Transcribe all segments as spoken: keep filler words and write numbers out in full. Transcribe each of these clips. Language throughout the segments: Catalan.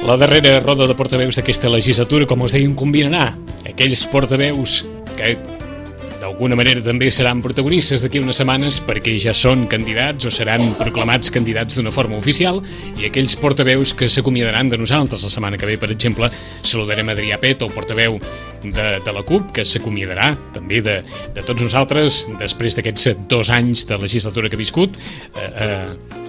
La darrera roda de portaveus d'aquesta legislatura, com us deien, combinarà aquells portaveus que d'alguna manera també seran protagonistes d'aquí unes setmanes perquè ja són candidats o seran proclamats candidats d'una forma oficial, i aquells portaveus que s'acomiadaran de nosaltres. La setmana que ve, per exemple, saludarem Adrià Pet, el portaveu de, de la CUP, que s'acomiadarà també de, de tots nosaltres després d'aquests dos anys de legislatura que ha viscut. Eh, eh,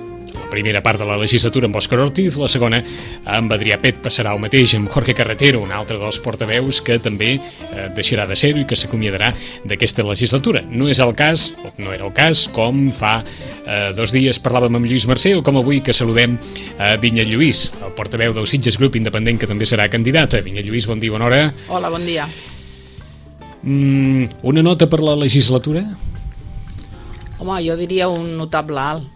La primera part de la legislatura amb Òscar Ortiz, la segona amb Adrià Pet passarà el mateix amb Jorge Carretero, un altre dels portaveus que també eh, deixarà de ser-ho i que s'acomiadarà d'aquesta legislatura. No és el cas, o no era el cas, com fa eh, dos dies parlàvem amb Lluís Mercè, o com avui que saludem a Vinyet Lluís, el portaveu del Sitges Grup Independent, que també serà candidata. Vinyet Lluís, bon dia, bona hora. Hola, bon dia. Mm, una nota per la legislatura? Home, jo diria un notable alt.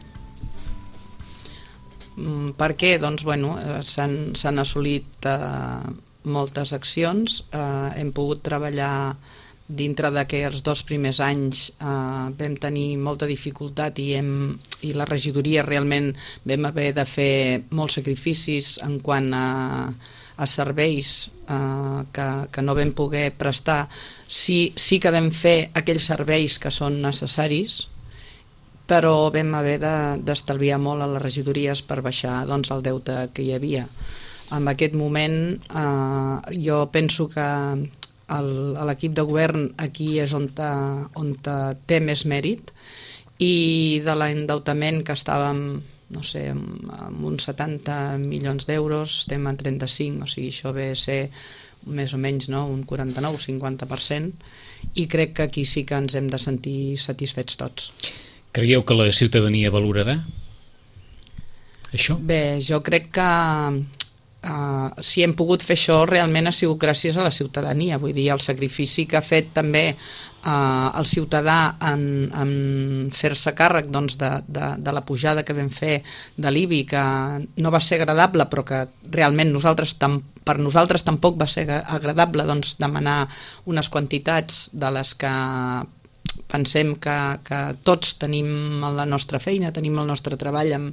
Per què? Doncs, bueno, s'han s'han assolit eh, moltes accions, eh, hem pogut treballar dintre d'aquests dos primers anys, eh, vam tenir molta dificultat i, hem, i la regidoria realment vam haver de fer molts sacrificis en quant a, a serveis eh, que, que no vam poder prestar. Sí, sí que vam fer aquells serveis que són necessaris, però vam haver d'estalviar molt a les regidories per baixar doncs, el deute que hi havia. En aquest moment eh, jo penso que l'equip de govern aquí és on, te, on te té més mèrit, i de l'endeutament que estàvem, no sé, amb, amb uns setanta milions d'euros, estem en trenta-cinc, o sigui, això ve a ser més o menys, no?, un quaranta-nou cinquanta per cent, i crec que aquí sí que ens hem de sentir satisfets tots. Creieu que la ciutadania valorarà això? Bé, jo crec que uh, si hem pogut fer això realment ha sigut gràcies a la ciutadania. Vull dir, el sacrifici que ha fet també uh, el ciutadà en, en fer-se càrrec doncs, de, de, de la pujada que vam fer de l'I B I, que no va ser agradable, però que realment nosaltres tam, per nosaltres tampoc va ser agradable doncs, demanar unes quantitats de les que pensem que, que tots tenim la nostra feina, tenim el nostre treball en,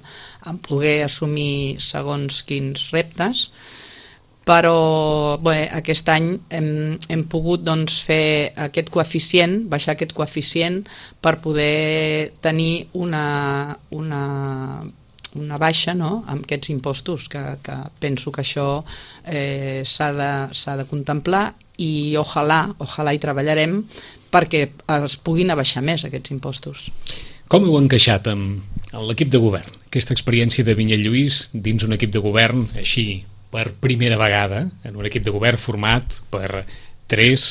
en poder assumir segons quins reptes, però bé, aquest any hem, hem pogut doncs, fer aquest coeficient, baixar aquest coeficient per poder tenir una, una, una baixa, no?, amb aquests impostos, que, que penso que això eh, s'ha de, s'ha de contemplar, i ojalà, ojalà hi treballarem perquè es puguin abaixar més aquests impostos. Com heu encaixat amb, amb l'equip de govern? Aquesta experiència de Vinyet Lluís dins un equip de govern, així, per primera vegada, en un equip de govern format per tres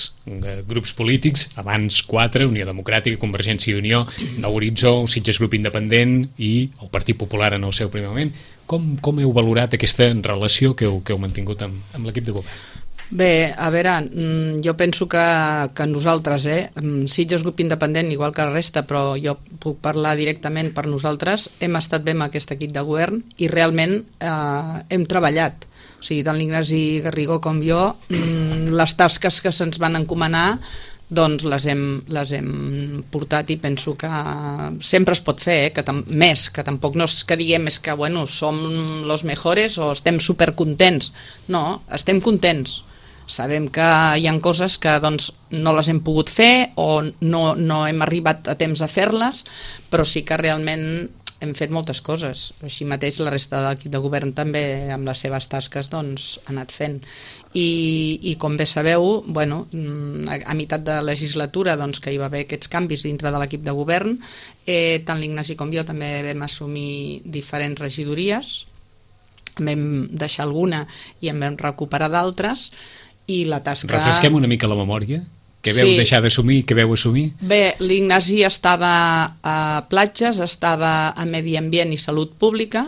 grups polítics, abans quatre, Unió Democràtica, Convergència i Unió, Nou Horitzó, Sitges Grup Independent i el Partit Popular en el seu primer moment. Com, com heu valorat aquesta relació que heu, que heu mantingut amb, amb l'equip de govern? Bé, a veure, jo penso que, que nosaltres, eh, Sitges Grup Independent, igual que la resta, però jo puc parlar directament per nosaltres, hem estat bé amb aquest equip de govern i realment eh, hem treballat. O sigui, tant l'Ignasi Garrigó com jo, les tasques que se'ns van encomanar doncs les hem, les hem portat, i penso que sempre es pot fer, eh? que més, que tampoc no és que diguem és que bueno, som los mejores o estem supercontents. No, estem contents. Sabem que hi ha coses que doncs, no les hem pogut fer o no, no hem arribat a temps a fer-les, però sí que realment hem fet moltes coses. Així mateix la resta de l'equip de govern també amb les seves tasques doncs, ha anat fent. I, i com bé sabeu, bueno, a, a meitat de legislatura doncs, que hi va haver aquests canvis dintre de l'equip de govern, eh, tant l'Ignasi com jo també vam assumir diferents regidories, vam deixar alguna i en vam recuperar d'altres, i la tasca... Refresquem una mica la memòria. Què veu sí. deixar d'assumir? Què veu assumir? Bé, l'Ignasi estava a platges, estava a Medi Ambient i Salut Pública,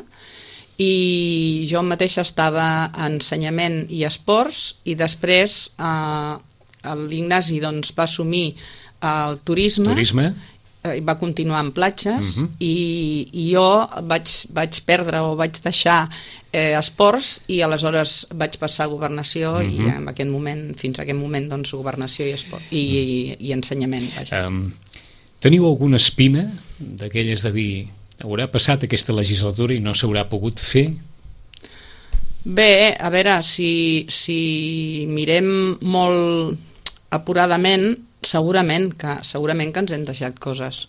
i jo mateixa estava a Ensenyament i Esports, i després eh, l'Ignasi doncs, va assumir el turisme, turisme. Eh, va continuar en platges, uh-huh. i, i jo vaig, vaig perdre o vaig deixar eh, esports, i aleshores vaig passar a governació, uh-huh. i en aquest moment, fins a aquest moment doncs, governació i, esport, i, uh-huh. i, i ensenyament. Um, teniu alguna espina d'aquelles de dir haurà passat aquesta legislatura i no s'haurà pogut fer? Bé, a veure, si, si mirem molt apuradament, segurament que, segurament que ens hem deixat coses.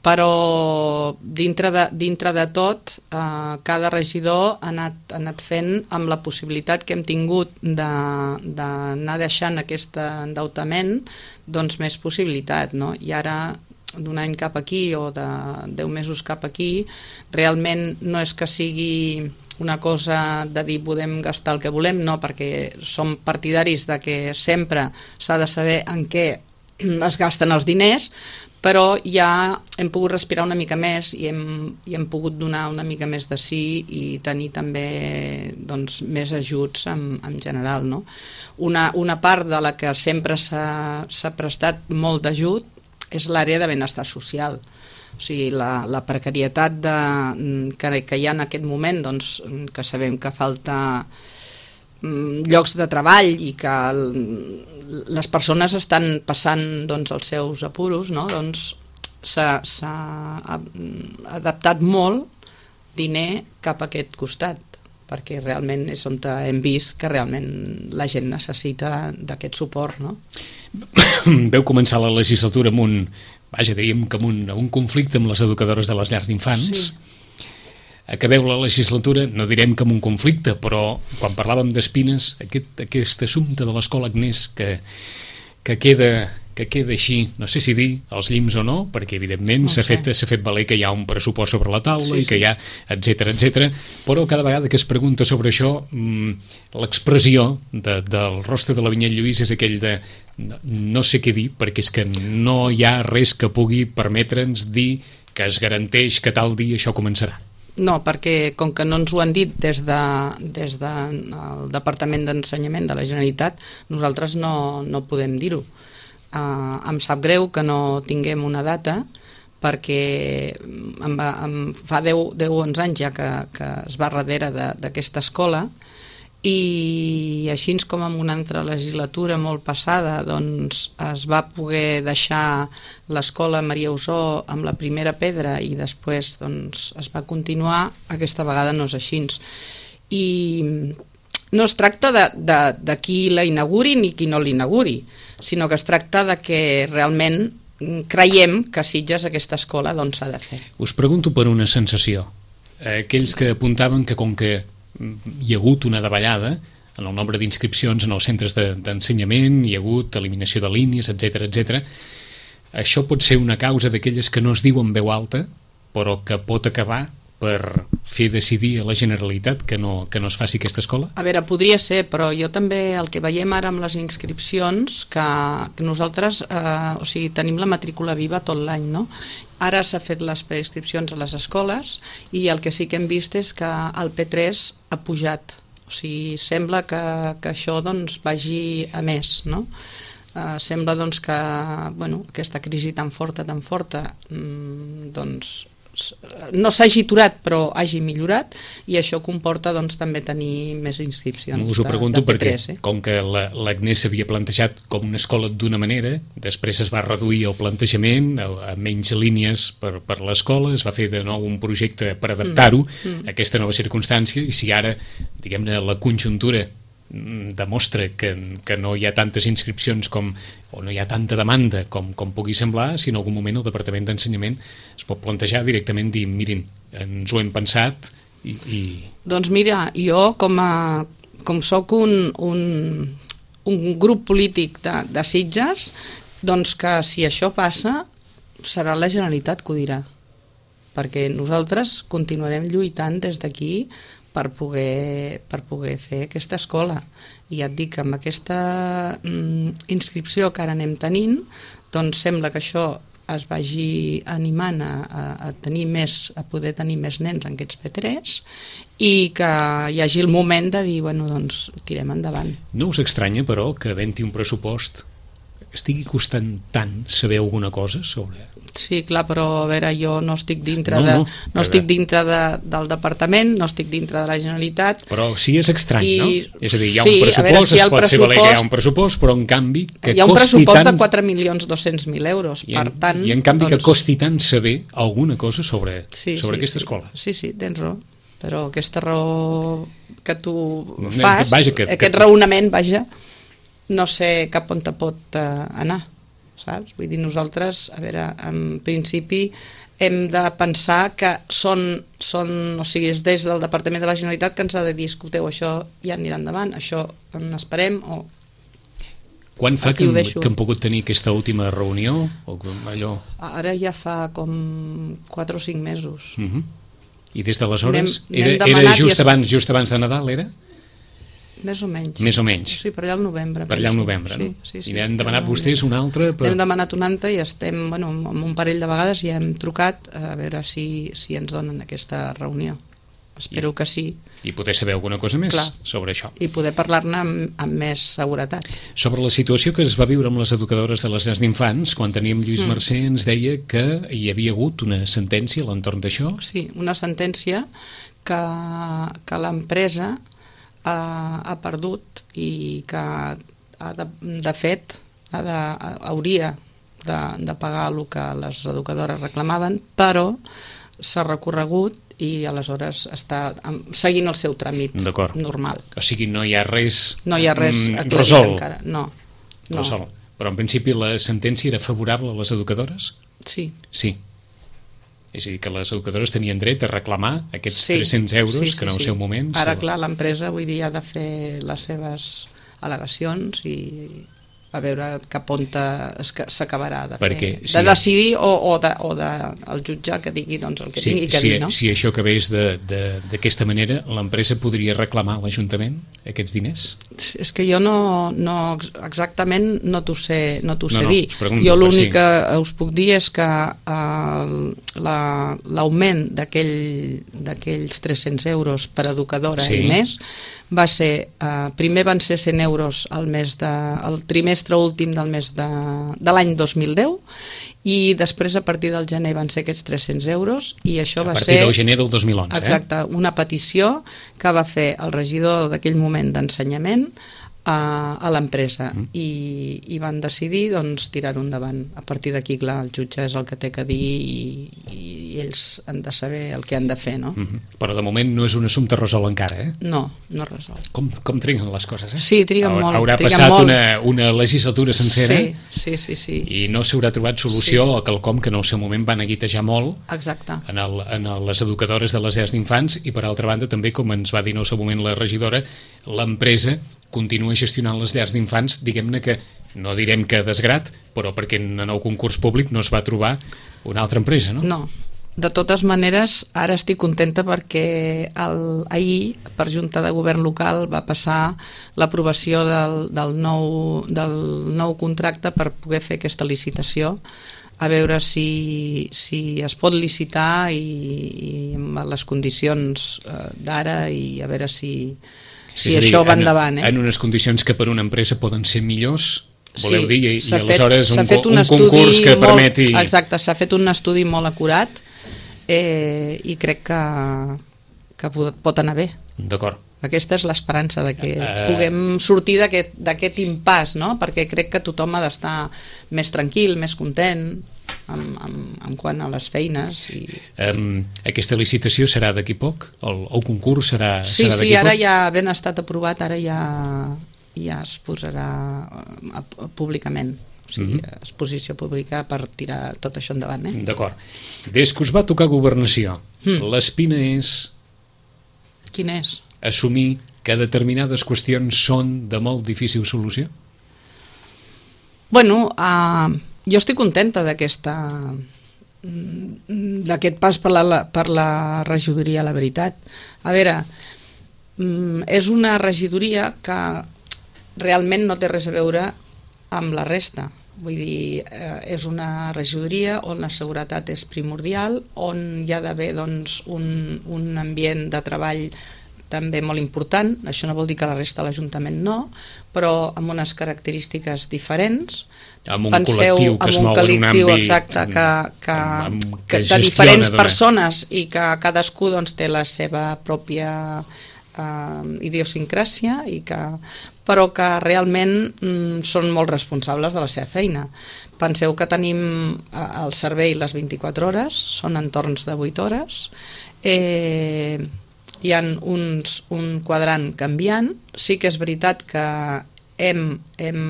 Però dintre de, dintre de tot, eh, cada regidor ha anat, ha anat fent amb la possibilitat que hem tingut d'anar deixant aquest endeutament, doncs més possibilitat, no? I ara, d'un any cap aquí o de deu mesos cap aquí, realment no és que sigui una cosa de dir podem gastar el que volem, no, perquè som partidaris de que sempre s'ha de saber en què es gasten els diners, però ja hem pogut respirar una mica més i hem, i hem pogut donar una mica més de sí i tenir també doncs, més ajuts en, en general, no? Una, una part de la que sempre s'ha prestat molt d'ajut és l'àrea de benestar social. O sigui, la, la precarietat de, que, que hi ha en aquest moment, doncs, que sabem que falta llocs de treball i que el, les persones estan passant doncs, els seus apuros, no? Doncs s'ha adaptat molt diner cap a aquest costat, perquè realment és on hem vist que realment la gent necessita d'aquest suport, no? Veu començar la legislatura amb un, vaja, diríem que amb un, un conflicte amb les educadores de les llars d'infants. Sí. Acabeu la legislatura, no direm que amb un conflicte, però quan parlàvem d'Espines, aquest, aquest assumpte de l'escola Agnès que, que, queda, que queda així, no sé si dir els llims o no, perquè evidentment no s'ha fet, s'ha fet valer que hi ha un pressupost sobre la taula sí, i que sí. hi ha, etcètera, etcètera, però cada vegada que es pregunta sobre això, l'expressió de, del rostre de la Vinyet Lluís és aquell de no, no sé què dir, perquè és que no hi ha res que pugui permetre'ns dir que es garanteix que tal dia això començarà. No, perquè com que no ens ho han dit des, de, des del Departament d'Ensenyament de la Generalitat, nosaltres no, no podem dir-ho. Uh, em sap greu que no tinguem una data, perquè em va, em fa deu o onze anys ja que, que es va darrere d'aquesta escola, i així com en una altra legislatura molt passada doncs es va poder deixar l'escola Maria Usó amb la primera pedra i després doncs, es va continuar, aquesta vegada no és així. I no es tracta de, de, de qui la inauguri ni qui no l'inauguri, sinó que es tracta de que realment creiem que a Sitges aquesta escola doncs s'ha de fer. Us pregunto per una sensació. Aquells que apuntaven que com que hi ha hagut una davallada en el nombre d'inscripcions en els centres d'ensenyament, hi ha hagut eliminació de línies, etcètera, etcètera. Això pot ser una causa d'aquelles que no es diu en veu alta, però que pot acabar per fer decidir a la Generalitat que no, que no es faci aquesta escola? A veure, podria ser, però jo també el que veiem ara amb les inscripcions, que, que nosaltres eh, o sigui, tenim la matrícula viva tot l'any, no? Ara s'ha fet les preinscripcions a les escoles i el que sí que hem vist és que el P tres ha pujat. O sigui, sembla que, que això doncs, vagi a més, no? Uh, sembla doncs, que bueno, aquesta crisi tan forta, tan forta, mmm, doncs, no s'hagi aturat però hagi millorat i això comporta doncs, també tenir més inscripcions. Us ho pregunto de, de P tres, perquè eh? Com que l'Agnès s'havia plantejat com una escola d'una manera, després es va reduir el plantejament a, a menys línies per, per l'escola, es va fer de nou un projecte per adaptar-ho mm, mm. a aquesta nova circumstància i si ara, diguem-ne, la conjuntura demostra que, que no hi ha tantes inscripcions com, o no hi ha tanta demanda com, com pugui semblar, si en algun moment el Departament d'Ensenyament es pot plantejar directament dir, mirin, ens ho hem pensat i... i... Doncs mira, jo com a com soc un, un, un grup polític de, de Sitges, doncs que si això passa serà la Generalitat que ho dirà, perquè nosaltres continuarem lluitant des d'aquí per poder, per poder fer aquesta escola. I ja et dic que amb aquesta mm, inscripció que ara anem tenint, doncs sembla que això es vagi animant a, a, a tenir més, a poder tenir més nens en aquests P tres i que hi hagi el moment de dir, bueno, doncs tirem endavant. No us estranya, però, que havent-hi un pressupost estigui costant tant saber alguna cosa sobre... Sí, clar, però a veure, jo no estic dintre, no, no, de, no estic dintre de, del departament, no estic dintre de la Generalitat. Però sí és estrany, i, no? És a dir, hi ha sí, un pressupost, veure, si es pot fer valer que hi ha un pressupost, però en canvi que hi ha un costi pressupost tant... de quatre milions dos-cents mil euros, I per en, tant... I en canvi doncs... que costi tant saber alguna cosa sobre, sí, sobre sí, aquesta sí. escola. Sí, sí, tens raó. però aquesta raó que tu fas, vaja, que, aquest que... raonament, vaja, no sé cap on te pot uh, anar, saps? Vull dir, nosaltres, a veure, en principi hem de pensar que són, són o sigui, és des del Departament de la Generalitat que ens ha de dir, escolteu, això ja anirà endavant, això en esperem, o... Quan fa que hem, que hem pogut tenir aquesta última reunió? O allò? Ara ja fa com quatre o cinc mesos. Uh-huh. I des d'aleshores? Era, era just, abans, just abans de Nadal, era? Més o menys. Més o menys. Sí, per allà al novembre. Per allà al novembre, sí, no? Sí, sí, I n'hem demanat vostès una altra? Per... N'hem demanat una altra i estem, bueno, amb un parell de vegades ja hem trucat a veure si, si ens donen aquesta reunió. Espero I, que sí. I poder saber alguna cosa més Clar. sobre això. I poder parlar-ne amb, amb més seguretat. Sobre la situació que es va viure amb les educadores de les llars d'infants, quan teníem Lluís mm. Mercè ens deia que hi havia hagut una sentència a l'entorn d'això. Sí, una sentència que, que l'empresa ha, ha perdut i que ha de, de fet ha de, hauria de, de pagar el que les educadores reclamaven, però s'ha recorregut i aleshores està seguint el seu tràmit normal. O sigui, no hi ha res, no hi ha res mm, resolt. Encara. No, no. Resol. Però en principi la sentència era favorable a les educadores? Sí. Sí. És a dir, que les educadores tenien dret a reclamar aquests sí. tres-cents euros sí, sí, que en el sí. seu moment... Ara, clar, l'empresa avui dia ha de fer les seves al·legacions i a veure cap on s'acabarà de, Perquè, fer, si de decidir o, o, de, o de el jutge que digui doncs, el que sí, tingui que si, dir, no? Si això acabés d'aquesta manera, l'empresa podria reclamar a l'Ajuntament aquests diners? És que jo no, no exactament no t'ho sé, no t'ho sé no, no, dir. pregunto, jo l'únic sí. que us puc dir és que uh, l'augment d'aquells tres-cents euros per educadora sí. i més va ser, uh, primer van ser cent euros al mes de, el trimestre últim del mes de, de l'any dos mil deu i després a partir del gener van ser aquests tres-cents euros i això va ser... A partir del gener del dos mil onze, exacte, eh? una petició que va fer el regidor d'aquell moment d'ensenyament a, a l'empresa mm. i, i van decidir doncs, tirar-ho endavant. A partir d'aquí, clar, el jutge és el que té que dir i, i ells han de saber el que han de fer, no? Mm -hmm. Però de moment no és un assumpte resolt encara, eh? No, no és resolt. Com, com triguen les coses, eh? Sí, triguen Haurà, molt. Haurà triguen passat molt. Una, una legislatura sencera sí, sí, sí, sí. i no s'haurà trobat solució sí. a quelcom que en el seu moment van aguitejar molt Exacte. En, el, en el, les educadores de les llars d'infants i per altra banda també, com ens va dir en el seu moment la regidora, l'empresa continua gestionant les llars d'infants, diguem-ne que no direm que desgrat, però perquè en el concurs públic no es va trobar una altra empresa, no? No. De totes maneres, ara estic contenta perquè el, ahir, per Junta de Govern Local, va passar l'aprovació del, del, nou, del nou contracte per poder fer aquesta licitació, a veure si, si es pot licitar i, i amb les condicions eh, d'ara i a veure si, si dir, això va en, endavant. Eh? En unes condicions que per una empresa poden ser millors, voleu sí, dir, i, i fet, aleshores un, fet un, un concurs que molt, permeti... Exacte, s'ha fet un estudi molt acurat eh, i crec que, que pot anar bé. D'acord. Aquesta és l'esperança de que uh, puguem sortir d'aquest impàs, no? Perquè crec que tothom ha d'estar més tranquil, més content en, en, en quant a les feines. I... Um, aquesta licitació serà d'aquí poc? El, el concurs serà, sí, serà d'aquí sí, ara poc? ja ben estat aprovat, ara ja, ja es posarà públicament. O sigui, uh-huh. exposició pública per tirar tot això endavant. Eh? D'acord. Des que us va tocar governació, mm. l'espina és... Quina és? Assumir que determinades qüestions són de molt difícil solució? Bueno, uh, jo estic contenta d'aquesta d'aquest pas per la, per la regidoria, la veritat. A veure, és una regidoria que realment no té res a veure amb la resta. Vull dir, eh, és una regidoria on la seguretat és primordial, on hi ha d'haver doncs, un, un ambient de treball també molt important. Això no vol dir que la resta de l'Ajuntament no, però amb unes característiques diferents. Amb un Penseu, col·lectiu que es mou en un àmbit... Exacte, que, que, amb, amb, que, que de diferents dona. persones i que cadascú doncs, té la seva pròpia eh, idiosincràsia, i que, però que realment mm, són molt responsables de la seva feina. Penseu que tenim eh, el servei les vint-i-quatre hores, són entorns de vuit hores, eh, hi ha uns, un quadrant canviant. Sí que és veritat que hem, hem,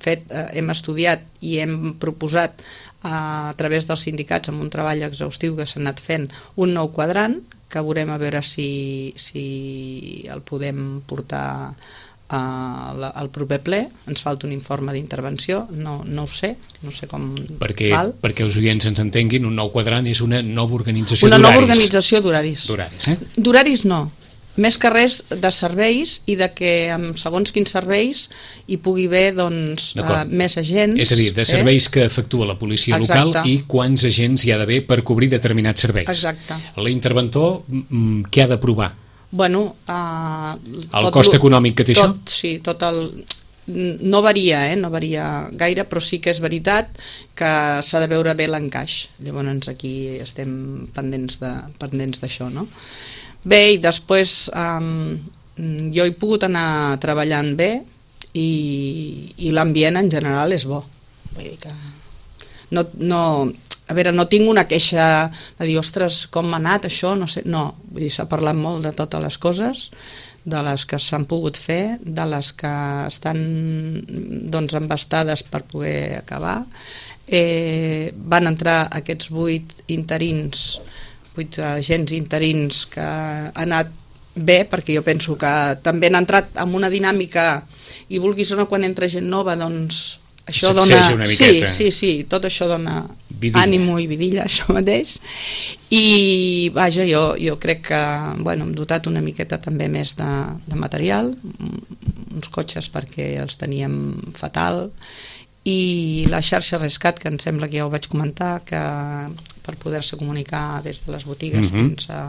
fet, hem estudiat i hem proposat a través dels sindicats amb un treball exhaustiu que s'ha anat fent un nou quadrant que veurem a veure si, si el podem portar al proper ple. Ens falta un informe d'intervenció, no, no ho sé, no sé com perquè, val. Perquè els oients ens entenguin, un nou quadrant és una nova organització una d'horaris. Una nova organització d'horaris. D'horaris, eh? D'horaris no, més que res de serveis i de que amb segons quins serveis hi pugui haver doncs, uh, més agents. És a dir, de serveis eh? que efectua la policia Exacte. Local i quants agents hi ha d'haver per cobrir determinats serveis. Exacte. L'interventor, què ha d'aprovar? Bueno, uh, el tot, cost econòmic que té tot, això? Sí, tot el... No varia, eh? no varia gaire, però sí que és veritat que s'ha de veure bé l'encaix. Llavors aquí estem pendents de, pendents d'això, no? Bé, i després um, jo he pogut anar treballant bé i, i l'ambient en general és bo. Vull dir que no... no A veure, no tinc una queixa de dir, ostres, com m'ha anat això, no sé, no, vull dir, s'ha parlat molt de totes les coses, de les que s'han pogut fer, de les que estan doncs embastades per poder acabar. Eh, van entrar aquests vuit interins, vuit agents interins que han anat bé, perquè jo penso que també han entrat en una dinàmica i vulguis o no, quan entra gent nova, doncs això dona... Sí, sí, sí, tot això dona vidilla. Ànimo i vidilla, això mateix. I, vaja, jo, jo crec que, bueno, hem dotat una miqueta també més de, de material, uns cotxes perquè els teníem fatal, i la xarxa Rescat, que em sembla que ja ho vaig comentar, que per poder-se comunicar des de les botigues mm-hmm. fins a,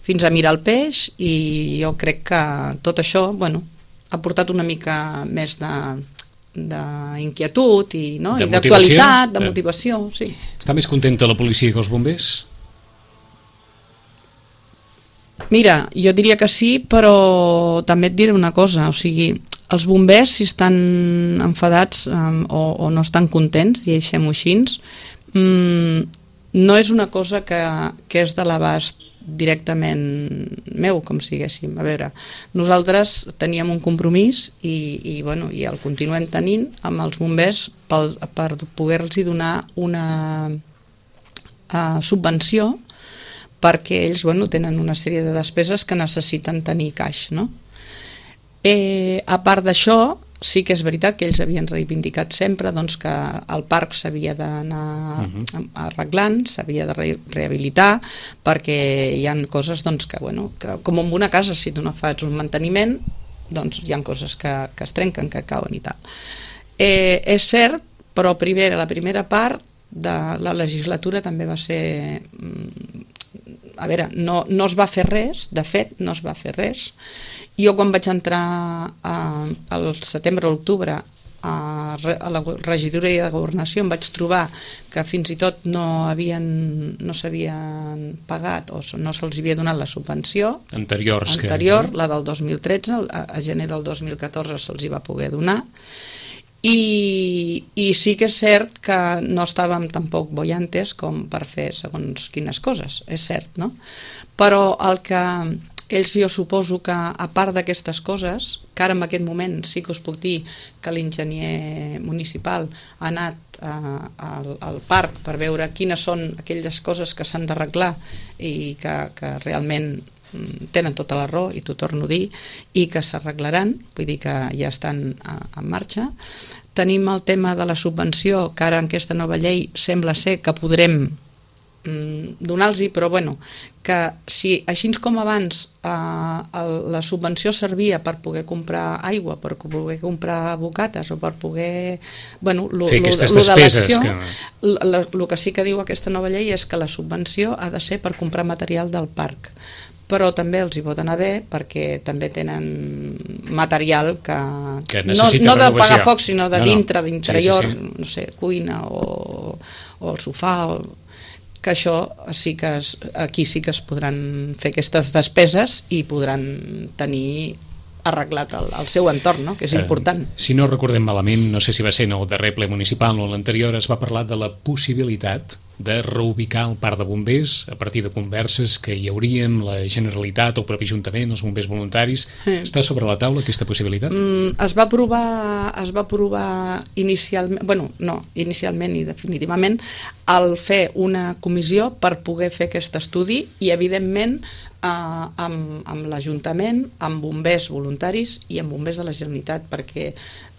fins a mirar el peix, i jo crec que tot això, bueno, ha portat una mica més de... d'inquietud i, no? I d'actualitat, de motivació, sí. Està més contenta la policia que els bombers? Mira, jo diria que sí, però també et diré una cosa, o sigui, els bombers, si estan enfadats um, o, o no estan contents, deixem-ho així, um, no és una cosa que, que és de l'abast directament meu, com si diguéssim. A veure, nosaltres teníem un compromís i, i, bueno, i el continuem tenint amb els bombers per, per poder-los donar una uh, subvenció perquè ells, bueno, tenen una sèrie de despeses que necessiten tenir caix, no? Eh, a part d'això, sí que és veritat que ells havien reivindicat sempre doncs, que el parc s'havia d'anar uh-huh. arreglant, s'havia de re rehabilitar, perquè hi ha coses doncs, que, bueno, que, com en una casa, si tu no fas un manteniment, doncs hi ha coses que, que es trenquen, que cauen i tal. Eh, és cert, però primer, la primera part de la legislatura també va ser... A veure, no, no es va fer res, de fet, no es va fer res. Jo quan vaig entrar a, al setembre o l'octubre a, a la regidoria de governació em vaig trobar que fins i tot no havien no s'havien pagat o no se'ls havia donat la subvenció Anteriors anterior, que... la del dos mil tretze, a, a gener del dos mil catorze se'ls hi va poder donar. I, i sí que és cert que no estàvem tampoc bollantes com per fer segons quines coses, és cert, no? Però el que ells, jo suposo que a part d'aquestes coses, que ara en aquest moment sí que us puc dir que l'enginyer municipal ha anat eh, al, al parc per veure quines són aquelles coses que s'han d'arreglar i que, que realment tenen tota la raó, i t'ho torno a dir, i que s'arreglaran, vull dir que ja estan en marxa. Tenim el tema de la subvenció, que ara en aquesta nova llei sembla ser que podrem mm, donar-los-hi, però bueno, que si així com abans eh, el, la subvenció servia per poder comprar aigua, per poder comprar bocates o per poder... Bueno, lo, fer aquestes lo, lo despeses. El que sí que diu aquesta nova llei és que la subvenció ha de ser per comprar material del parc, però també els hi pot anar bé perquè també tenen material que, que no, no de pagar foc, sinó de no, dintre, no. d'interior, sí, sí, sí. no sé, cuina o, o el sofà, o, que això sí que es, aquí sí que es podran fer aquestes despeses i podran tenir arreglat el, el seu entorn, no? Que és important. Eh, si no recordem malament, no sé si va ser en el darrer ple municipal o l'anterior, es va parlar de la possibilitat de reubicar el parc de bombers a partir de converses que hi hauria amb la Generalitat o el propi Ajuntament, els bombers voluntaris. Sí. Està sobre la taula aquesta possibilitat? Mm, es va aprovar, es va aprovar inicialment, bueno, no, inicialment i definitivament, el fer una comissió per poder fer aquest estudi i, evidentment, eh, amb, amb l'Ajuntament, amb bombers voluntaris i amb bombers de la Generalitat, perquè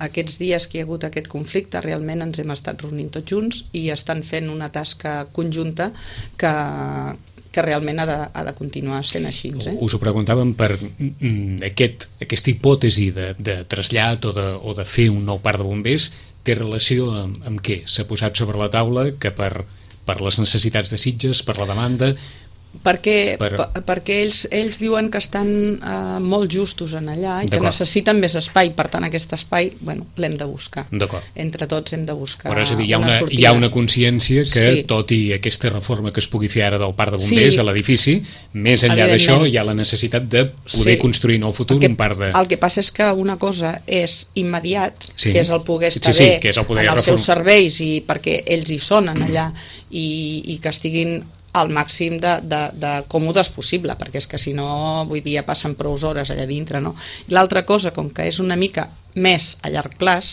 aquests dies que hi ha hagut aquest conflicte realment ens hem estat reunint tots junts i estan fent una tasca conjunta que, que realment ha de, ha de continuar sent així. Eh? Us ho preguntàvem per aquest, aquesta hipòtesi de, de trasllat o de, o de fer un nou parc de bombers. Té relació amb, amb què? S'ha posat sobre la taula que per, per les necessitats de Sitges, per la demanda... Perquè, per... perquè ells, ells diuen que estan uh, molt justos en allà i que necessiten més espai, per tant aquest espai bueno, l'hem de buscar, entre tots hem de buscar. Però és a dir, hi ha una, una hi ha una consciència que sí. Tot i aquesta reforma que es pugui fer ara del parc de bombers, sí. De l'edifici, més enllà d'això hi ha la necessitat de poder sí. Construir en el futur el que, un parc de... El que passa és que una cosa és immediat, sí. Que és el poder estar sí, sí, bé que és el poder en els reform... seus serveis i perquè ells hi són en allà i, i que estiguin al màxim de, de, de còmodes possible, perquè és que si no, vull dir, ja passen prou hores allà dintre, no? L'altra cosa, com que és una mica més a llarg plaç,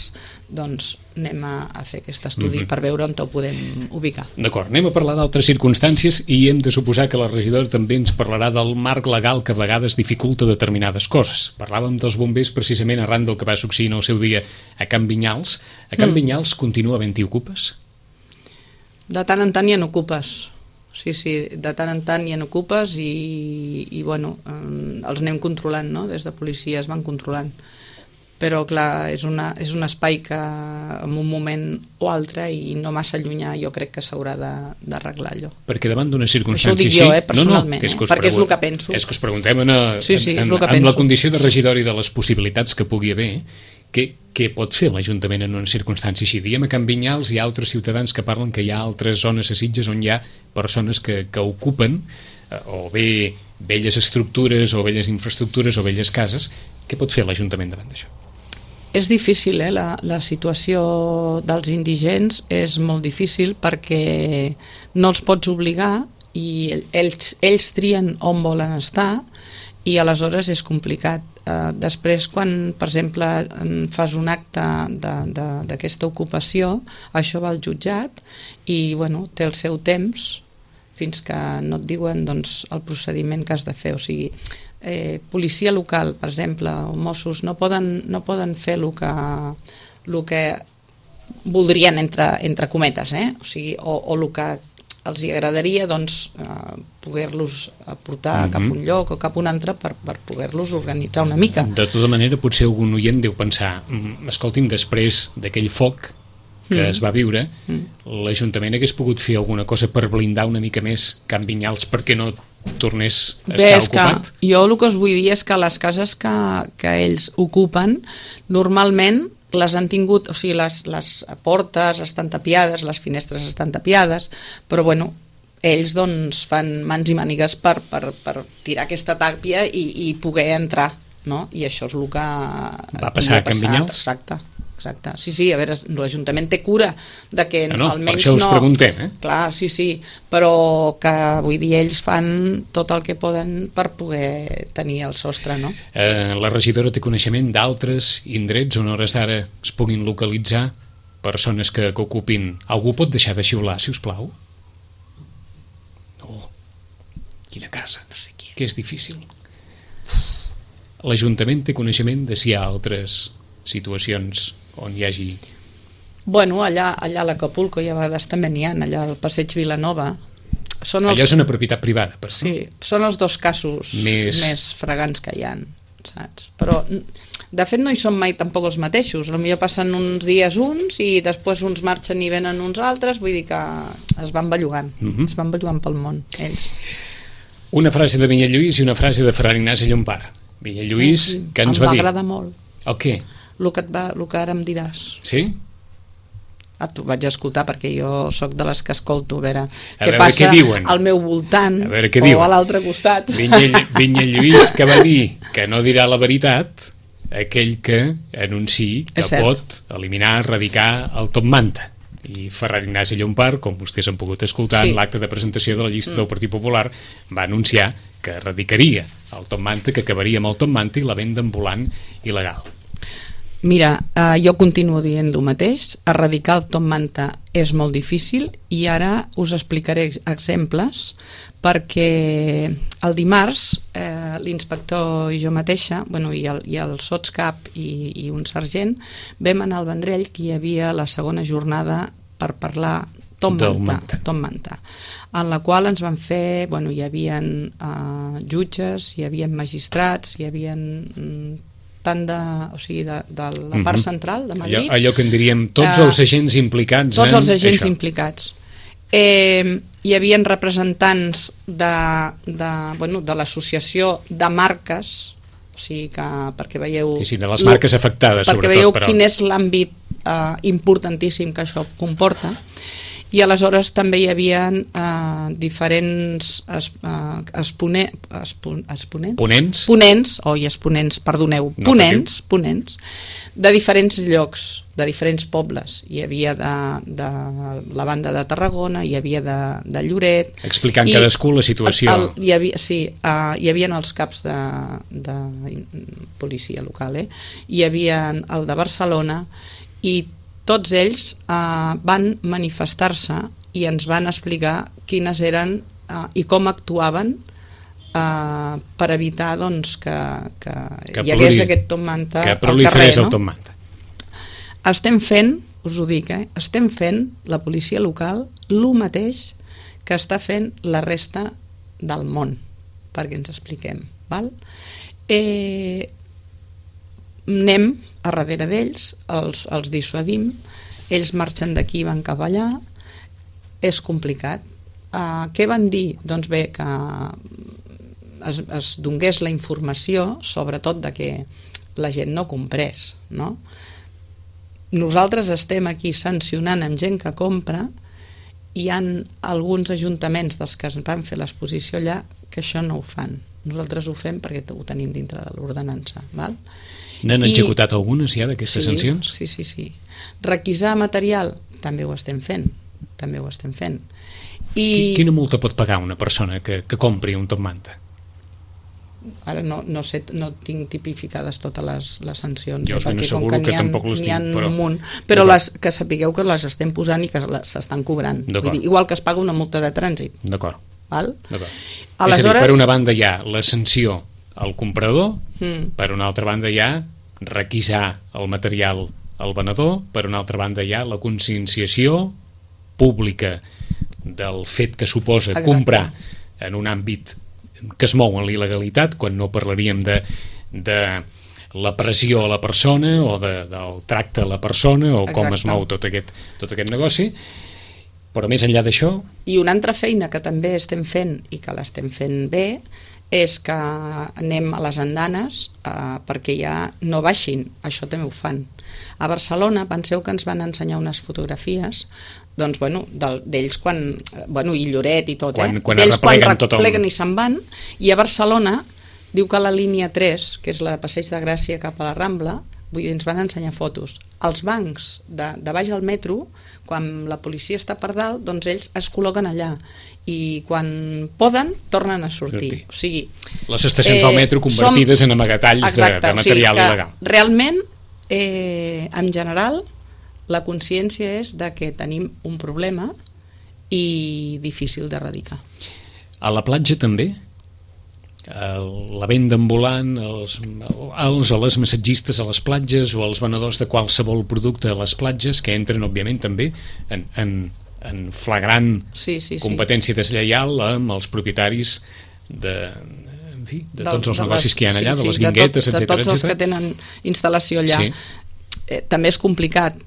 doncs anem a, a fer aquest estudi mm-hmm. per veure on ho podem ubicar. D'acord, anem a parlar d'altres circumstàncies i hem de suposar que la regidora també ens parlarà del marc legal que a vegades dificulta determinades coses. Parlàvem dels bombers precisament arran del que va succeir en el seu dia a Can Vinyals. A Can mm. Vinyals continua havent-hi ocupes? De tant en tant hi ha ocupes. Sí, sí, de tant en tant hi ha ocupes i, i bueno, eh, els anem controlant, no? Des de policia es van controlant. Però, clar, és, una, és un espai que en un moment o altre i no massa llunyà jo crec que s'haurà d'arreglar allò. Perquè davant d'una circumstància així... Això ho dic jo, eh, personalment, no, no, és eh? Perquè és el que penso. És que us preguntem en, sí, sí, en, en, en la condició de regidor i de les possibilitats que pugui haver, què, què pot fer l'Ajuntament en una circumstància així? Diem a Can Vinyals hi ha altres ciutadans que parlen que hi ha altres zones a Sitges on hi ha persones que, que ocupen eh, o bé velles estructures o velles infraestructures o velles cases. Què pot fer l'Ajuntament davant d'això? És difícil, eh? La, la situació dels indigents és molt difícil perquè no els pots obligar i ells, ells trien on volen estar i aleshores és complicat. Eh, després, quan, per exemple, fas un acte d'aquesta ocupació, això va al jutjat i bueno, té el seu temps fins que no et diuen doncs, el procediment que has de fer. O sigui, eh, policia local, per exemple, o Mossos, no poden, no poden fer el que, el que voldrien, entre, entre cometes, eh? O sigui, o, o el que els agradaria doncs, eh, poder-los portar mm-hmm. cap a un lloc o cap a un altre per, per poder-los organitzar una mica. De tota manera, potser algun oient deu pensar, escolti'm, després d'aquell foc que mm. es va viure, mm. l'Ajuntament hagués pogut fer alguna cosa per blindar una mica més Can Vinyals perquè no tornés a Bé, estar ocupat? Jo el que us vull dir és que les cases que, que ells ocupen normalment les han tingut, o sigui, les, les portes estan tapiades, les finestres estan tapiades, però bueno, ells doncs fan mans i mànigues per, per, per tirar aquesta tàpia i, i poder entrar, no? I això és el que va passar a Can Vinyals? Exacte. Exacte. Sí, sí, a veure, l'Ajuntament té cura de que no, no, almenys per això us no... preguntem, eh? Clar, sí, sí, però que, vull dir, ells fan tot el que poden per poder tenir el sostre, no? Eh, la regidora té coneixement d'altres indrets on a hores d'ara es puguin localitzar persones que, que ocupin... Algú pot deixar de xiular, si us plau? No. Quina casa, no sé qui. Que és difícil. L'Ajuntament té coneixement de si hi ha altres situacions on hi hagi... Bueno, allà, allà a l'Acapulco i a vegades també n'hi ha, allà al Passeig Vilanova. Són els... Allà és una propietat privada, però... Sí, són els dos casos més, més fregants que hi ha, saps? Però, de fet, no hi són mai tampoc els mateixos. Potser passen uns dies uns i després uns marxen i venen uns altres, vull dir que es van bellugant, uh-huh. es van bellugant pel món, ells. Una frase de Vinyalluís i una frase de Ferran Ignasi Llompart. Vinyalluís, eh, que ens va dir... Em va agradar molt. El què? El que, et va, el que ara em diràs. Sí? Ah, t'ho vaig escoltar perquè jo sóc de les que escolto a veure a què veure passa què diuen. Al meu voltant a veure què o diuen. A l'altre costat. Vinyalluís, que va dir que no dirà la veritat aquell que anunciï que pot eliminar, erradicar el top manta. i Ferran Ignasi Llompart, com vostès han pogut escoltar, sí. en l'acte de presentació de la llista mm. del Partit Popular, va anunciar que erradicaria el top manta, que acabaria amb el top manta i la venda ambulant il·legal. Mira, eh, jo continuo dient el mateix, erradicar el top manta és molt difícil i ara us explicaré exemples, perquè el dimarts eh, l'inspector i jo mateixa, bueno, i el, i el sotscap i, i un sergent, vam anar al Vendrell, que hi havia la segona jornada per parlar top manta, top manta, en la qual ens van fer, bueno, hi havia uh, jutges, hi havia magistrats, hi havia mm, tant de, o sigui, de, de la part central de Madrid. Allò, allò que en diríem tots uh, els agents implicats. Tots en els agents això. implicats. Eh, hi havia representants de, de, bueno, de l'associació de marques, o sigui que perquè veieu... Sí, sí, de les marques afectades, perquè sobretot. Perquè veieu però... quin és l'àmbit eh, importantíssim que això comporta. I aleshores també hi havia eh, diferents es, eh, expone, espon, exponents? Ponents? Ponents, oi, exponents, perdoneu, no ponents, patiu. ponents, de diferents llocs, de diferents pobles. Hi havia de, de la banda de Tarragona, hi havia de, de Lloret... Explicant i cadascú la situació. El, hi havia, sí, uh, hi havia els caps de, de policia local, eh? Hi havia el de Barcelona i tots ells eh, van manifestar-se i ens van explicar quines eren eh, i com actuaven eh, per evitar doncs, que, que, que hi hagués aquest top manta al carrer. No? El top manta. Estem fent, us ho dic, eh, estem fent la policia local el mateix que està fent la resta del món, perquè ens expliquem. Val? Eh, anem a darrere d'ells, els, els dissuadim, ells marxen d'aquí i van cap allà, és complicat. Uh, què van dir? Doncs bé, que es, es donés la informació, sobretot de que la gent no comprés, no? Nosaltres estem aquí sancionant amb gent que compra, i hi ha alguns ajuntaments dels que es van fer l'exposició allà que això no ho fan. Nosaltres ho fem perquè ho tenim dintre de l'ordenança, val? N'han executat algunes ja d'aquestes sí, sancions? Sí, sí, sí. Requisar material, també ho estem fent, també ho estem fent. I... Quina multa pot pagar una persona que, que compri un top manta? Ara no, no sé, no tinc tipificades totes les, les sancions. Jo us ben asseguro que, que tampoc les tinc, però... Munt, però les, que sapigueu que les estem posant i que s'estan cobrant. Vull dir, igual que es paga una multa de trànsit. D'acord. Val? Aleshores... És a dir, per una banda hi ha la sanció al comprador, mm. per una altra banda hi ha requisar el material al venedor, per una altra banda hi ha la conscienciació pública del fet que suposa Exacte. comprar en un àmbit que es mou en l'il·legalitat, quan no parlaríem de, de la pressió a la persona o de, del tracte a la persona o Exacte. com es mou tot aquest, tot aquest negoci. Però més enllà d'això... I una altra feina que també estem fent i que l'estem fent bé és que anem a les andanes eh, perquè ja no baixin, això també ho fan. A Barcelona, penseu que ens van ensenyar unes fotografies doncs, bueno, d'ells quan, bueno, i Lloret i tot, quan, eh? quan d'ells quan repleguen el... i se'n van, i a Barcelona diu que la línia tres, que és la de Passeig de Gràcia cap a la Rambla, vull dir, ens van ensenyar fotos. Els bancs de, de baix al metro, quan la policia està per dalt, doncs ells es col·loquen allà i quan poden tornen a sortir. O sigui, les estacions eh, del metro convertides som... en amagatalls Exacte, de, de material o sigui il·legal. Realment, eh, en general, la consciència és de que tenim un problema i difícil d'erradicar. A la platja també? La venda ambulant, els, els o les massatgistes a les platges o els venedors de qualsevol producte a les platges, que entren, òbviament, també en, en, en flagrant sí, sí, sí. competència deslleial amb els propietaris de, en fi, de del, tots els de negocis les, que hi ha allà, sí, de les sí, guinguetes, de, tot, etcètera. De tots els que tenen instal·lació allà. Sí. Eh, també és complicat.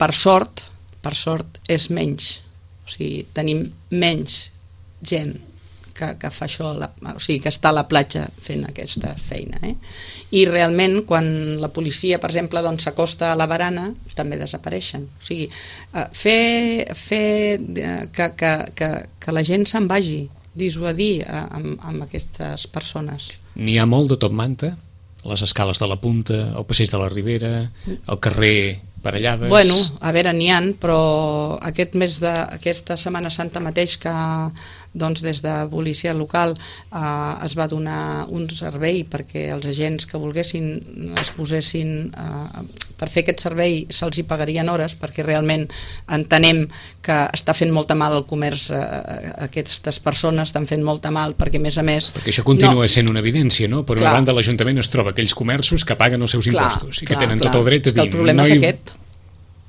Per sort, per sort és menys. O sigui, tenim menys gent que, que fa això, la, o sigui, que està a la platja fent aquesta feina. Eh? I realment, quan la policia, per exemple, doncs, s'acosta a la barana, també desapareixen. O sigui, fer, fer que, que, que, que la gent se'n vagi, dissuadir amb, amb aquestes persones. N'hi ha molt de top manta, les escales de la Punta, el passeig de la Ribera, el carrer parellades... Bueno, a veure, n'hi ha, però aquest mes de, aquesta Setmana Santa mateix que doncs, des de policia local eh, es va donar un servei perquè els agents que volguessin es posessin eh, per fer aquest servei se'ls hi pagarien hores, perquè realment entenem que està fent molta mal el comerç, eh, aquestes persones estan fent molta mal, perquè a més a més... Perquè això continua no, sent una evidència, no? Per clar, una banda l'Ajuntament es troba aquells comerços que paguen els seus clar, impostos i clar, que tenen clar, tot el dret a dir... el problema no és hi... aquest,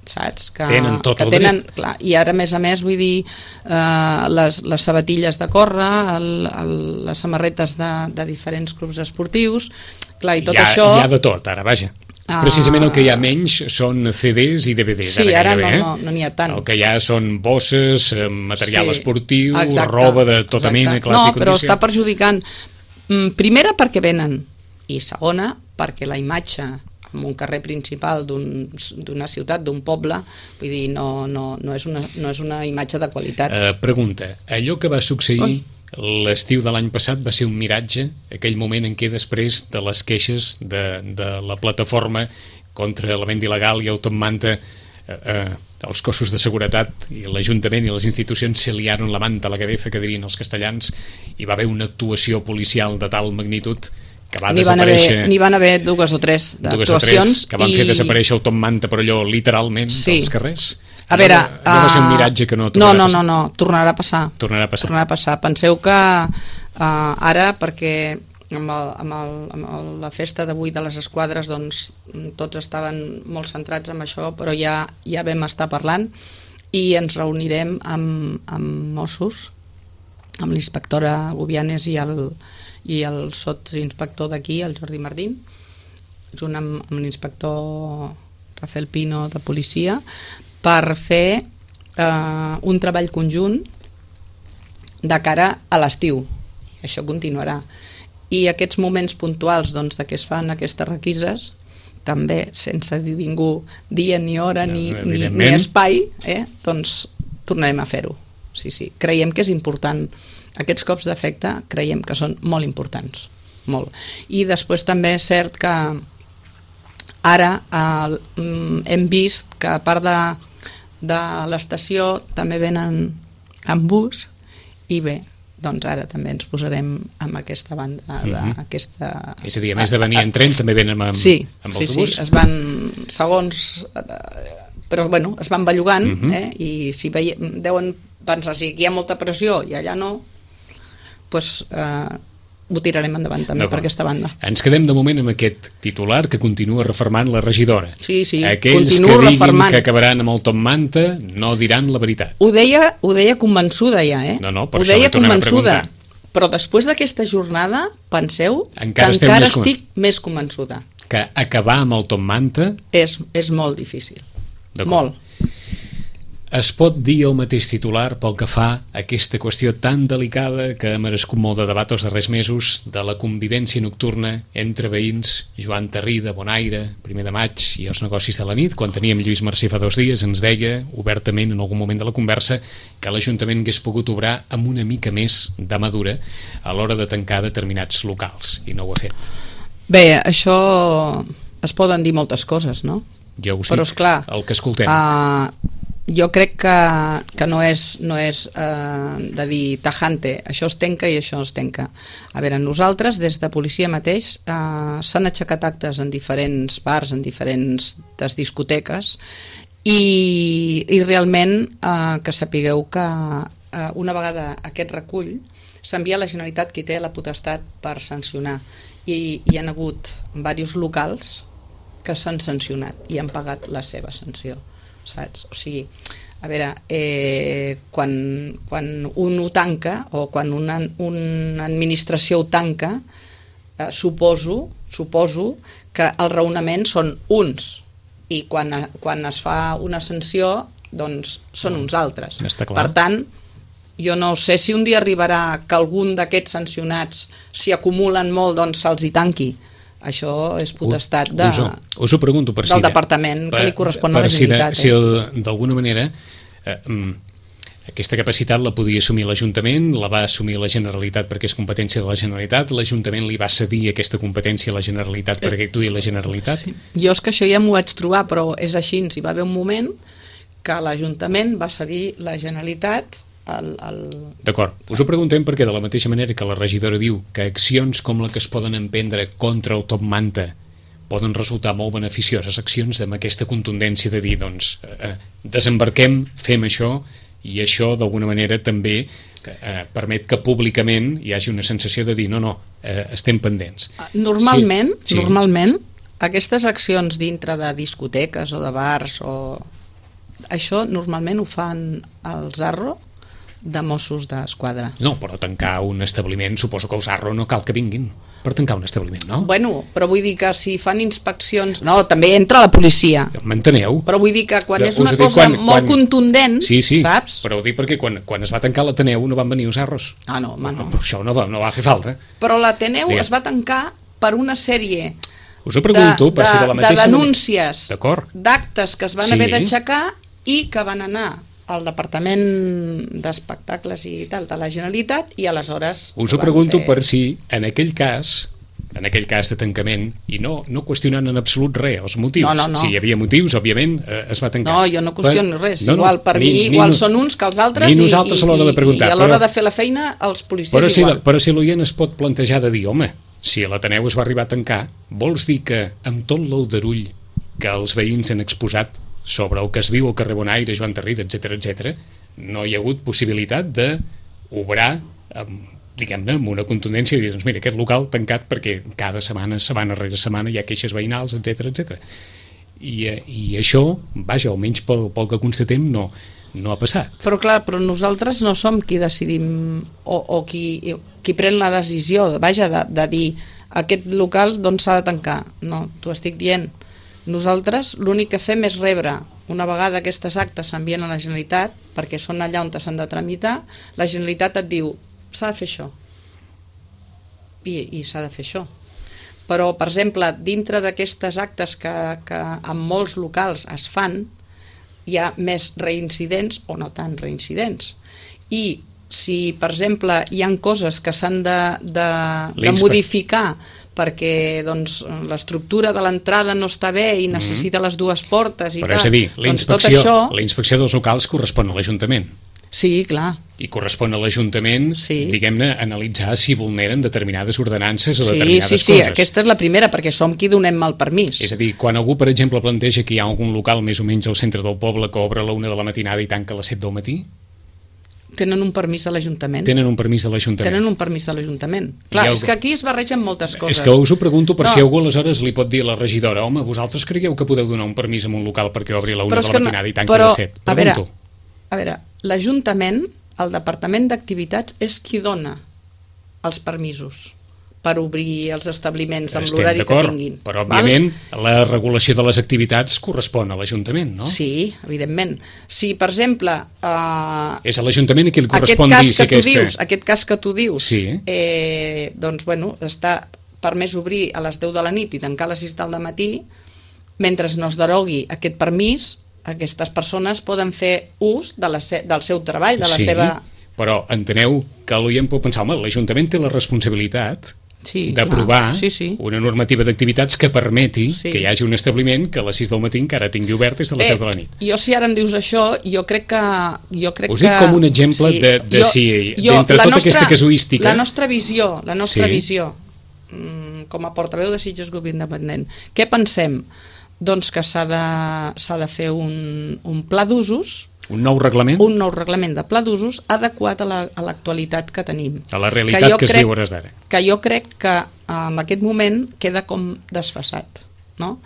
saps? Que, tenen tot que el tenen, dret. clar, i ara a més a més vull dir eh, les, les sabatilles de córrer, el, el, les samarretes de, de diferents clubs esportius, clar, i tot hi ha, això... Hi ha de tot, ara, vaja. Ah, precisament el que hi ha menys són C Ds i D V Ds. Sí, ara, ara gairebé, no, no, no n'hi ha tant. El que hi ha són bosses, material sí, esportiu, exacte, roba de tota exacte. mena, classe no, i condició. però està perjudicant, primera perquè venen, i segona perquè la imatge en un carrer principal d'una un, ciutat, d'un poble, vull dir, no, no, no, és una, no és una imatge de qualitat. Uh, pregunta, allò que va succeir Ui. l'estiu de l'any passat va ser un miratge, aquell moment en què després de les queixes de, de la plataforma contra la venda il·legal i automanta eh, eh, els cossos de seguretat i l'Ajuntament i les institucions se liaron la manta a la cabeza, que dirien els castellans, i va haver una actuació policial de tal magnitud que va n'hi desaparèixer... Van n'hi van haver dues o tres d'actuacions. Que van i... fer desaparèixer el Tom Manta, però allò literalment sí. dels carrers. A veure... No, no va ser un miratge que no no, tornarà no, a passar. No, no, tornarà a passar. Tornarà a passar. Tornarà a passar. Penseu que uh, ara, perquè amb, el, amb, el, amb el, la festa d'avui de les esquadres, doncs tots estaven molt centrats en això, però ja, ja vam estar parlant i ens reunirem amb, amb Mossos, amb l'inspectora Gubianes i el i el sotsinspector d'aquí, el Jordi Martín, junt amb, amb l'inspector Rafael Pino de policia, per fer eh, un treball conjunt de cara a l'estiu. Això continuarà. I aquests moments puntuals doncs, de què es fan aquestes requises, també sense dir ningú dia ni hora ni, ni, ni espai, eh, doncs tornarem a fer-ho. Sí, sí. Creiem que és important. Aquests cops d'efecte creiem que són molt importants, molt. I després també és cert que ara eh, hem vist que a part de, de l'estació també venen en bus i bé, doncs ara també ens posarem amb aquesta banda de, mm-hmm. aquesta... És a dir, a més de venir en tren també venen amb, sí, amb sí, autobús? Sí, es van segons... però bueno, es van bellugant mm-hmm. eh? I si veie, deuen pensar si aquí hi ha molta pressió i allà no, doncs eh, ho tirarem endavant també per aquesta banda. Ens quedem de moment amb aquest titular que continua refermant la regidora. Sí, sí, aquells que diguin refermant. Que acabaran amb el Tom Manta no diran la veritat. Ho deia, ho deia convençuda ja, eh? No, no, per ho això deia li tornem convençuda, a preguntar. Però després d'aquesta jornada, penseu encara que encara més estic més convençuda. Que acabar amb el Tom Manta... És, és molt difícil. Molt. Es pot dir el mateix titular pel que fa a aquesta qüestió tan delicada que ha merescut molt de debat els darrers mesos de la convivència nocturna entre veïns. Joan Tarrí de Bonaire, primer de maig, i els negocis de la nit. Quan teníem Lluís Mercè fa dos dies ens deia obertament en algun moment de la conversa que l'Ajuntament hagués pogut obrar amb una mica més de madura a l'hora de tancar determinats locals, i no ho ha fet. Bé, això es poden dir moltes coses, no? Jo us Però, dic esclar, el que escoltem. Uh, jo crec que, que no és, no és uh, de dir tajante, això es tanca i això es tanca. A veure, nosaltres des de policia mateix uh, s'han aixecat actes en diferents bars, en diferents discoteques i, i realment uh, que sapigueu que uh, una vegada aquest recull s'envia a la Generalitat, qui té la potestat per sancionar, i hi ha hagut diversos locals que s'han sancionat i han pagat la seva sanció, saps? O sigui, a veure, eh, quan, quan un ho tanca o quan una, una administració ho tanca, eh, suposo, suposo que els raonaments són uns i quan, quan es fa una sanció doncs són uns altres. Per tant, jo no sé si un dia arribarà que algun d'aquests sancionats, si acumulen molt, doncs se'ls hi tanqui. Això és potestat de, us, ho, us ho pregunto per del si departament per, que li correspon a la si Generalitat. De, si d'alguna manera eh, aquesta capacitat la podia assumir l'Ajuntament, la va assumir la Generalitat perquè és competència de la Generalitat, l'Ajuntament li va cedir aquesta competència a la Generalitat perquè actuï la Generalitat. Sí. Jo és que això ja m'ho vaig trobar, però és així, hi va haver un moment que l'Ajuntament va cedir la Generalitat al... al... D'acord, us ho preguntem perquè de la mateixa manera que la regidora diu que accions com la que es poden emprendre contra el top manta poden resultar molt beneficioses, accions amb aquesta contundència de dir, doncs, eh, desembarquem, fem això, i això d'alguna manera també eh, permet que públicament hi hagi una sensació de dir, no, no, eh, estem pendents. Normalment, sí, sí. normalment, aquestes accions dintre de discoteques o de bars, o això normalment ho fan el Zarro de Mossos d'Esquadra. No, però tancar un establiment, suposo que el Zarro no cal que vinguin per tancar un establiment, no? Bueno, però vull dir que si fan inspeccions... No, també entra la policia. M'enteneu? Però vull dir que quan Però és una dic, cosa quan, molt quan... contundent, sí, sí, saps? Però ho dic perquè quan, quan es va tancar l'Ateneu no van venir els Zarros. Ah, no, home, no. no això no va, no va fer falta. Però l'Ateneu Digues. es va tancar per una sèrie Us ho pregunto, de, per si de la mateixa de denúncies, D'acord. d'actes que es van Sí. haver d'aixecar i que van anar al Departament d'Espectacles i tal de la Generalitat i aleshores... Us ho van pregunto fer... per si en aquell cas en aquell cas de tancament, i no, no qüestionant en absolut res els motius. No, no, no. Si hi havia motius, òbviament, eh, es va tancar. No, jo no qüestiono res. No, no, igual, per ni, mi, ni, igual ni, són uns que els altres ni i, nosaltres i, a l'hora de preguntar, i a l'hora però, de fer la feina els policies però si igual. La, però si l'oient es pot plantejar de dir, home, si l'Ateneu es va arribar a tancar, vols dir que amb tot l'aldarull que els veïns han exposat sobre el que es viu al carrer Bonaire, Joan Tarrida, etcètera, etcètera, no hi ha hagut possibilitat d'obrar amb diguem-ne, amb una contundència i dir, doncs mira, aquest local tancat perquè cada setmana, setmana rere setmana hi ha queixes veïnals, etcètera, etcètera. I, i això, vaja, almenys pel, pel que constatem, no, no ha passat. Però clar, però nosaltres no som qui decidim o, o qui, qui pren la decisió, vaja, de, de dir aquest local doncs s'ha de tancar. No, t'ho estic dient. Nosaltres l'únic que fem és rebre, una vegada aquestes actes s'envien a la Generalitat, perquè són allà on s'han de tramitar, la Generalitat et diu s'ha de fer això i, i s'ha de fer això, però per exemple dintre d'aquestes actes que, que en molts locals es fan hi ha més reincidents o no tan reincidents, i si per exemple hi han coses que s'han de, de, de modificar perquè doncs, l'estructura de l'entrada no està bé i necessita mm-hmm. les dues portes i però tal, és a dir, la doncs tot inspecció, això... la inspecció dels locals correspon a l'Ajuntament. Sí, clar. I correspon a l'Ajuntament, sí. diguem-ne, analitzar si vulneren determinades ordenances o sí, determinades sí, sí, coses. Sí, aquesta és la primera, perquè som qui donem el permís. És a dir, quan algú, per exemple, planteja que hi ha algun local més o menys al centre del poble que obre a la una de la matinada i tanca a les set del matí... Tenen un permís de l'Ajuntament. Tenen un permís de l'Ajuntament. Tenen un permís de l'Ajuntament. Clar, algú... és que aquí es barregen moltes coses. És que us ho pregunto per no. si algú aleshores li pot dir a la regidora, home, vosaltres cregueu que podeu donar un permís a un local perquè obri a la una de la matinada no... i tanqui a les set? Però, a veure, a veure, l'Ajuntament, el Departament d'Activitats, és qui dona els permisos per obrir els establiments amb l'horari que tinguin. Però, òbviament, val? La regulació de les activitats correspon a l'Ajuntament, no? Sí, evidentment. Si, per exemple... Eh, és a l'Ajuntament a qui li correspon dir si aquesta... Dius, aquest cas que tu dius, sí. eh, doncs, bueno, està permès obrir a les deu de la nit i tancar a les sis del matí, mentre no es derogui aquest permís, aquestes persones poden fer ús de la se del seu treball, de la sí, seva... però enteneu que l'oient pot pensar, home, l'Ajuntament té la responsabilitat sí, d'aprovar sí, sí. una normativa d'activitats que permeti sí. que hi hagi un establiment que a les sis del matí encara tingui obert des de les Bé, deu de la nit. Jo, si ara em dius això, jo crec que... Jo crec Us dic que, com un exemple sí, de, de jo, si, jo, d'entre tota nostra, aquesta casuística... La nostra visió, la nostra sí. visió mm, com a portaveu de Sitges Grup Independent, què pensem? Doncs que s'ha de, s'ha de fer un, un pla d'usos, un nou reglament? Un nou reglament de pla d'usos adequat a l'actualitat la, que tenim. A la realitat que, que es crec, viu hores d'ara. Que jo crec que en aquest moment queda com desfasat. No?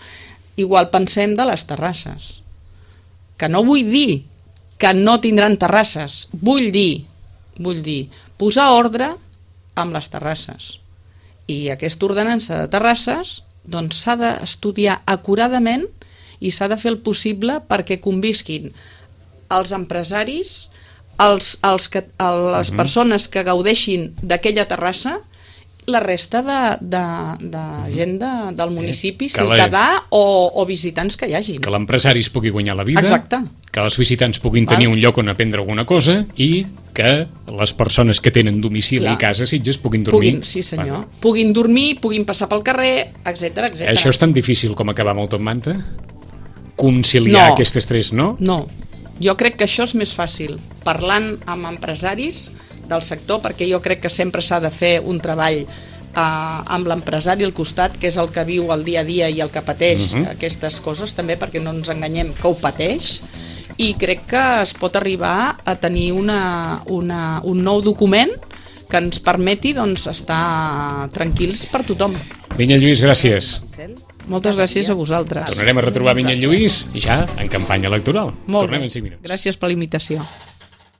Igual pensem de les terrasses. Que no vull dir que no tindran terrasses. Vull dir, vull dir, posar ordre amb les terrasses. I aquesta ordenança de terrasses doncs s'ha d'estudiar acuradament i s'ha de fer el possible perquè convisquin els empresaris, els, els que, les uh-huh. persones que gaudeixin d'aquella terrassa la resta de, de, de gent de, del municipi, Que la- ciutadà o, o visitants que hi hagin. Que l'empresari es pugui guanyar la vida, Exacte. que els visitants puguin Val. tenir un lloc on aprendre alguna cosa i que les persones que tenen domicili Clar. i casa a Sitges puguin dormir. Puguin, sí senyor. Puguin dormir, puguin passar pel carrer, etcètera, etcètera. Això és tan difícil com acabar amb el Top Manta? Conciliar No. aquestes tres, no? No, jo crec que això és més fàcil, parlant amb empresaris del sector, perquè jo crec que sempre s'ha de fer un treball eh, amb l'empresari al costat, que és el que viu el dia a dia i el que pateix Mhm. aquestes coses, també perquè no ens enganyem que ho pateix, i crec que es pot arribar a tenir una, una, un nou document que ens permeti doncs, estar tranquils per tothom. Vinyet Lluís, gràcies. Moltes gràcies a vosaltres. Tornarem a retrobar Vinyet Lluís ja en campanya electoral. Molt Tornem bé. en cinc minuts. Gràcies per la invitació.